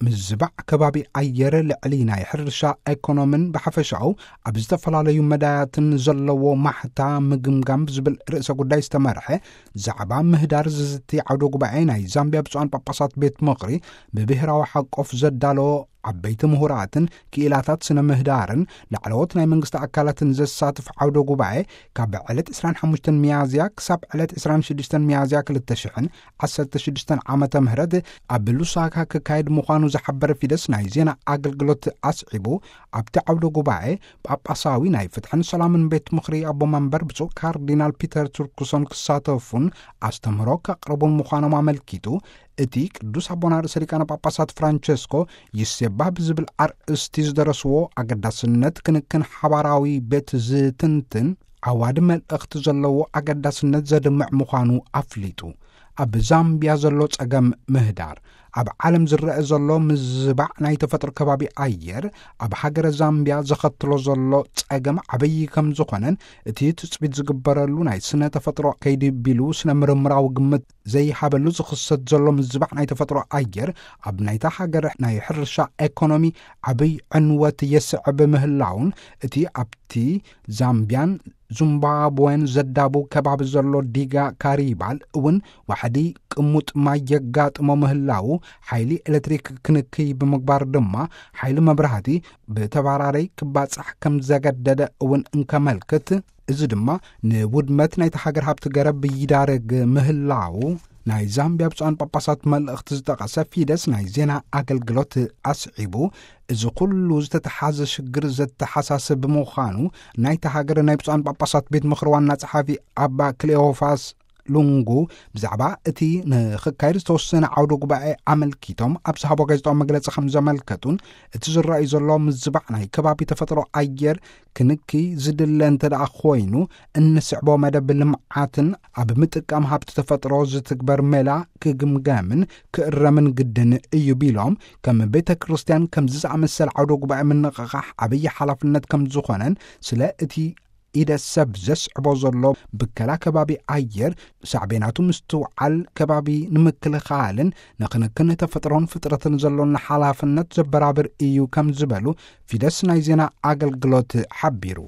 ምዝባዕ ከባቢ ኣየር ልዕሊ ናይ ሕርሻ፣ ኤኮኖምን ብሓፈሻኡ ኣብ ዝተፈላለዩ መዳያትን ዘለዎ ማሕታ ምግምጋም ብዝብል ርእሰ ጉዳይ ዝተመርሐ ዛዕባ ምህዳር ዝዝቲ ዓውደ ጉባኤ ናይ ዛምቢያ ብፁዓን ጳጳሳት ቤት ምኽሪ ብብሔራዊ ሓቆፍ ዘዳለዎ ዓበይቲ ምሁራትን ክኢላታት ስነ ምህዳርን ላዕለዎት ናይ መንግስቲ ኣካላትን ዘሳትፍ ዓውደ ጉባኤ ካብ ዕለት ዕስራን ሓሙሽተን ሚያዝያ ክሳብ ዕለት ዕስራን ሽዱሽተን ሚያዝያ ክልተ ሽሕን ዓሰርተ ሽዱሽተን ዓመተ ምህረት ኣብ ሉሳካ ክካየድ ምዃኑ ዝሓበረ ፊደስ ናይ ዜና ኣገልግሎት ኣስዒቡ፣ ኣብቲ ዓውደ ጉባኤ ጳጳሳዊ ናይ ፍትሕን ሰላምን ቤት ምኽሪ ኣቦ መንበር ብፁዕ ካርዲናል ፒተር ቱርክሶን ክሳተፉን ኣስተምህሮ ከቕርቡን ምዃኖም ኣመልኪቱ፣ እቲ ቅዱስ ኣቦና ርእሰ ሊቃነ ጳጳሳት ፍራንቸስኮ ይሴባ ብዝብል ኣርእስቲ ዝደረስዎ ኣገዳስነት ክንክን ሓባራዊ ቤት ዝትንትን ዓዋዲ መልእኽቲ ዘለዎ ኣገዳስነት ዘድምዕ ምዃኑ ኣፍሊጡ። ኣብ ዛምቢያ ዘሎ ጸገም ምህዳር፣ ኣብ ዓለም ዝረአ ዘሎ ምዝባዕ ናይ ተፈጥሮ ከባቢ ኣየር ኣብ ሃገረ ዛምቢያ ዘኸትሎ ዘሎ ጸገም ዓበዪ ከም ዝኾነን፣ እቲ ትጽቢት ዝግበረሉ ናይ ስነ ተፈጥሮ ከይዲ ቢሉ ስነ ምርምራዊ ግምት ዘይሃበሉ ዝኽሰት ዘሎ ምዝባዕ ናይ ተፈጥሮ ኣየር ኣብ ናይታ ሃገር ናይ ሕርሻ ኤኮኖሚ ዓብይ ዕንወት የስዕብ ምህላውን፣ እቲ ኣብቲ ዛምቢያን ዙምባብዌን ዘዳቡ ከባቢ ዘሎ ዲጋ ካሪባል እውን ዋሕዲ ቅሙጥ ማይ የጋጥሞ ምህላው፣ ሓይሊ ኤሌክትሪክ ክንክይ ብምግባር ድማ ሓይሊ መብራህቲ ብተባራረይ ክባጻሕ ከም ዘገደደ እውን እንከመልክት፣ እዚ ድማ ንውድመት ናይቲ ሃገር ሃብቲ ገረብ ይዳረግ ምህላው ናይ ዛምቢያ ብፁዓን ጳጳሳት መልእኽቲ ዝጠቐሰ ፊደስ ናይ ዜና ኣገልግሎት ኣስዒቡ፣ እዚ ኩሉ ዝተተሓዘ ሽግር ዘተሓሳስብ ብምዃኑ፣ ናይቲ ሃገር ናይ ብፁዓን ጳጳሳት ቤት ምኽሪ ዋና ጸሓፊ ኣባ ክሌዎፋስ ሉንጉ ብዛዕባ እቲ ንኽካየድ ዝተወሰነ ዓውደ ጉባኤ ኣመልኪቶም ኣብ ዝሃቦ ጋዜጣዊ መግለጺ ከም ዘመልከቱን፣ እቲ ዝረኣዩ ዘሎ ምዝባዕ ናይ ከባቢ ተፈጥሮ ኣየር ክንኪ ዝድለ እንተ ደኣ ኮይኑ፣ እንስዕቦ መደብ ልምዓትን ኣብ ምጥቃም ሃብቲ ተፈጥሮ ዝትግበር ሜላ ክግምገምን ክእረምን ግድን እዩ ቢሎም፣ ከም ቤተ ክርስቲያን ከምዚ ዝኣመሰለ ዓውደ ጉባኤ ምንቕቓሕ ዓብዪ ሓላፍነት ከም ዝኾነን፣ ስለ እቲ ኢደ ሰብ ዘስዕቦ ዘሎ ብከላ ከባቢ ኣየር ሳዕቤናቱ ምስትውዓል ከባቢ ንምክልኻልን ንክንክን ተፈጥሮን ፍጥረትን ዘሎና ሓላፍነት ዘበራብር እዩ ከም ዝበሉ ፊደስ ናይ ዜና ኣገልግሎት ሓቢሩ።